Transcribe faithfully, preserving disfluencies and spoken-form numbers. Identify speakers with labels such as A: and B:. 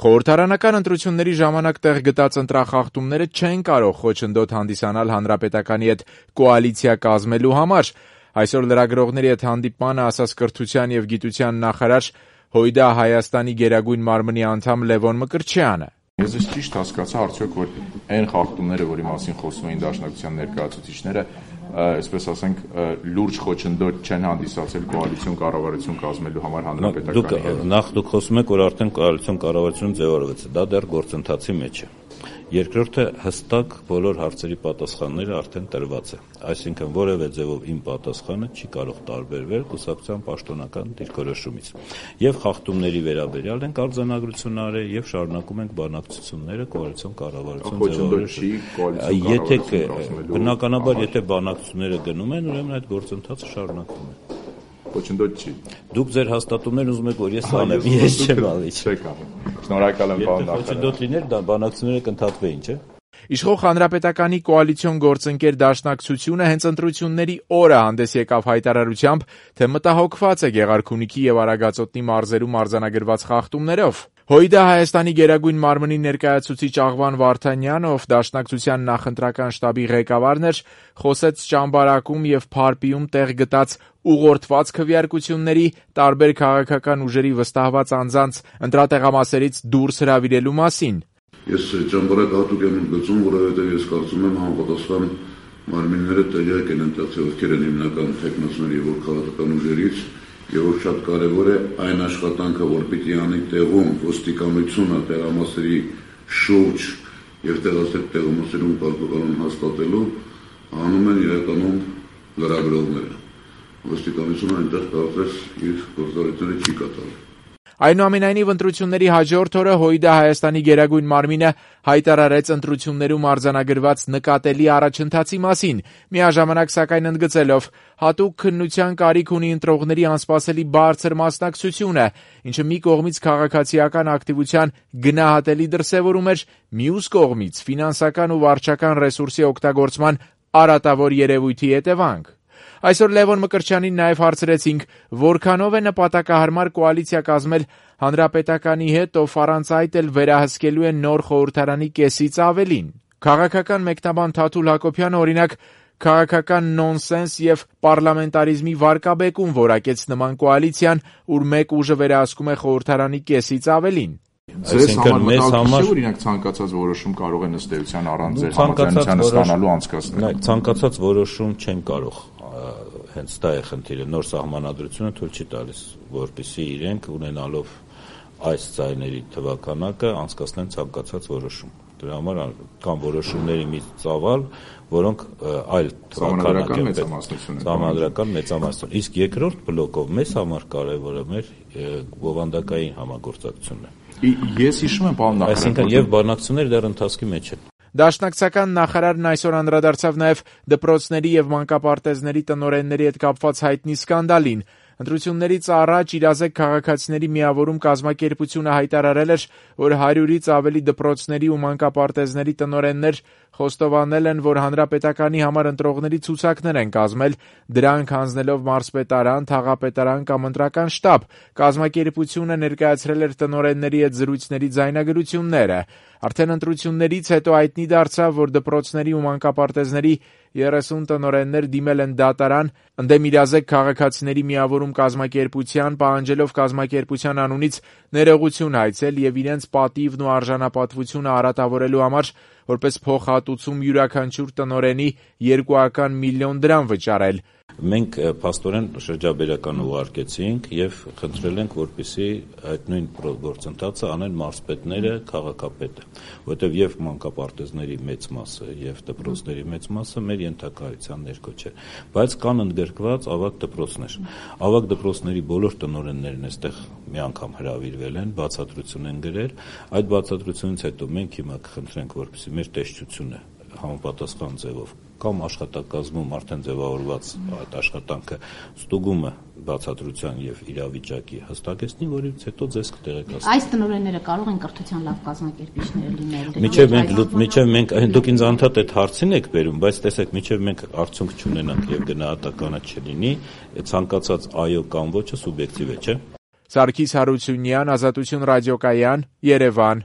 A: Խորհրդարանական ընտրությունների ժամանակ տեղ գտած ընտրախախտումները չեն կարող խոչընդոտ հանդիսանալ հանրապետականի հետ կոալիցիա կազմելու համար։ Այսօր լրագրողների հետ հանդիպմանը ասաց կրթության եւ գիտության նախարար Հույդա Հայաստանի գերագույն մարմնի անդամ Լևոն Մկրտչյանը։
B: Ես ես ճիշտ հասկացա արդյոք, որ այն խախտումները, որի մասին խոսում էին դաշնակցության ներկայացուցիչները, այսպես ասենք, լուրջ խոչընդոտ չեն հանդիսացել կոալիցիոն կառավարություն կազմելու համար հանրապետականի հետ։
C: Նախ դուք խոսում եք, որ արդեն կոալիցիոն կառավարություն ձևավորվեց, դա դեռ գործընթացի մեջ է։ Երկրորդը հստակ բոլոր հարցերի պատասխանները արդեն տրված է, այսինքն որևէ ձևով իմ պատասխանը չի կարող տարբերվել կուսակցության պաշտոնական դիրքորոշումից։ Եվ խախտումների վերաբերյալ ենք արձանագրություն արել եւ շարունակում ենք բանակցությունները կոալիցիոն կառավարություն ձևավորելու։ Եթե բնականաբար եթե բանակցությունները գնում են, ուրեմն այդ գործընթացը շարունակվում է։
B: Խոչընդոտ չի։
C: Դուք ձեր հաստատումներն ուզում եք, որ ես անեմ, ես չեմ ալիչ։
B: Շնորհակալ եմ, պարոն նախարար։
C: Եթե խոչընդոտ լիներ, դա բանակցությունները կընդհատվեին, չէ՞։
A: Իշխող հանրապետականի կոալիցիոն գործընկեր դաշնակցությունը հենց ընտրությունների օրը հանդես եկավ հայտարարությամբ, թե մտահոգված է Գեղարքունիքի եւ Արագածոտնի մարզերում արձանագրված խախտումներով։ Հույդա Հայաստանի գերագույն մարմնի ներկայացուցիչ Աղվան Վարդանյանը, ով դաշնակցության նախընտրական շտաբի ղեկավարն էր, խոսեց Ճամբարակում եւ Փարպիում տեղ գտած ուղղորդված քվեարկությունների, տարբեր քաղաքական ուժերի վստահված անձանց ընտրատեղամասերից դուրս հրավիրելու մասին։
D: Ես Ճամբարակ հատուկ եմ ընդգծում, որովհետև ես կարծում եմ համապատասխան մարմինները տեղյակ են ընտրացի ովքեր են հիմնական թեկնածուների եւ քաղաքական ուժերից, եւ որ շատ կարեւոր է այն աշխատանքը, որ պիտի անի տեղում ոստիկանությունը տեղամասերի շուրջ եւ տեղասեր տեղամասերում կարգողանուն հաստատելու, անում են իրականում լրագրողները։ Ոստիկանությունը այնտեղ կարծես իր գործառույթները չի կատարում։
A: Այնուամենայնիվ ընտրությունների հաջորդ օրը Հույդա Հայաստանի գերագույն մարմինը հայտարարեց ընտրություններում արձանագրված նկատելի առաջընթացի մասին, միաժամանակ սակայն ընդգծելով հատուկ քննության կարիք ունի ընտրողների անսպասելի բարձր մասնակցությունը, ինչը մի կողմից քաղաքացիական ակտիվության գնահատելի դրսևորում էր, մյուս կողմից ֆինանսական ու վարչական ռեսուրսի օգտագործման արատավոր երևույթի հետևանք։ Այսօր Լևոն Մկրտչյանին նաև հարցրեցինք, որքանով է նպատակահարմար կոալիցիա կազմել հանրապետականի հետ, ով առանց այդ էլ վերահսկելու է նոր խորհրդարանի կեսից ավելին։ Քաղաքական մեկնաբան Թաթուլ Հակոբյանը, օրինակ, քաղաքական նոնսենս եւ պարլամենտարիզմի վարկաբեկում որակեց նման կոալիցիան, ուր մեկ ուժը վերահսկում է խորհրդարանի կեսից ավելին։
B: Ձեզ համար մտահոգիչ է, օրինակ ցանկացած որոշում կարող է ըստ էության առանց ձեր համաձայնության ստանալու անցկացնել։
C: Ցանկացած որոշում չեն կարող, հենց դա է խնդիրը, նոր սահմանադրությունը թույլ չի տալիս, որպեսզի իրենք ունենալով այս ձայների թվականակը անցկացնեն ցանկացած որոշում։ Դրա համար կան որոշումների մի ծավալ, որոնք այլ
B: սահմանադրական մեծամասնություն են։
C: Սահմանադրական մեծամասնություն։ Իսկ երկրորդ բլոկով մեզ համար կարևորը մեր բովանդակային համագործակցությունն է։
B: Ես հիշում եմ, պարոն նախարար,
C: այսինքն եւ բանակցությունները դեռ ընթացքի մեջ են։
A: Դաշնակցական նախարարն այսօր անդրադարձավ նաև դպրոցների եւ մանկապարտեզների տնօրենների հետ կապված հայտնի սկանդալին։ Ընտրություններից առաջ իրազեկ քաղաքացիների միավորում կազմակերպությունը հայտարարել էր, որ հարյուրից ավելի դպրոցների ու մանկապարտեզների տնօրեններ խոստովանել են, որ հանրապետականի համար ընտրողների ցուցակներ են կազմել, դրանք հանձնելով մարզպետարան, թաղապետարան կամ ընտրական շտաբ։ Կազմակերպությունը ներկայացրել էր տնօրենների հետ զրույցների ձայնագրությունները։ Արդեն ընտրություններից հետո հայտնի դարձավ, որ դպրոցների ու մանկապարտեզների երեսուն տնօրեններ դիմել են դատարան, ընդդեմ իրազեկ քաղաքացիների միավորում կազմակերպության, պահանջելով կազմակերպության անունից ներողություն հայցել եւ իրենց պատիվն ու արժանապատվությունը արատավորելու համար որպես փոխհատուցում յուրաքանչյուր տնօրենի երկուական միլիոն դրամ վճարել։
C: Մենք փաստորեն շրջաբերական ուղարկեցինք եւ խնդրել ենք, որպեսզի այդ նույն գործընթացը անեն մարզպետները, քաղաքապետը, որովհետեւ եւ մանկապարտեզների մեծ մասը եւ դպրոցների մեծ մասը մեր ենթակայության ներքո չէ, բայց կան ընդգրկված ավագ դպրոցներ։ Ավագ դպրոցների բոլոր տնօրեններն այստեղ մի անգամ հրավիրվել են, բացատրություն են գրել, այդ բացատրությունից հետո մենք հիմա կխնդրենք, որպեսզի մեր տեսչությունը համապատասխան ձևով կամ աշխատակազմում արդեն ձևավորված այդ աշխատանքը ստուգումը բացատրության եւ իրավիճակի հստակեցնի, որից հետո ձեզ կտեղեկացնի։
E: Այս տնօրենները կարող են կրթության լավ կազմակերպիչներ լինել։
C: Միջև մենք միջև մենք դուք ինձ անդադ այդ հարցին եք բերում, բայց տեսեք, միջև մենք արդյունք չունենանք եւ գնահատականը չլինի, ցանկացած այո կամ ոչը սուբյեկտիվ է, չէ՞։
A: Սարգիս Հարությունյան, Ազատություն ռադիոկայան, Երևան։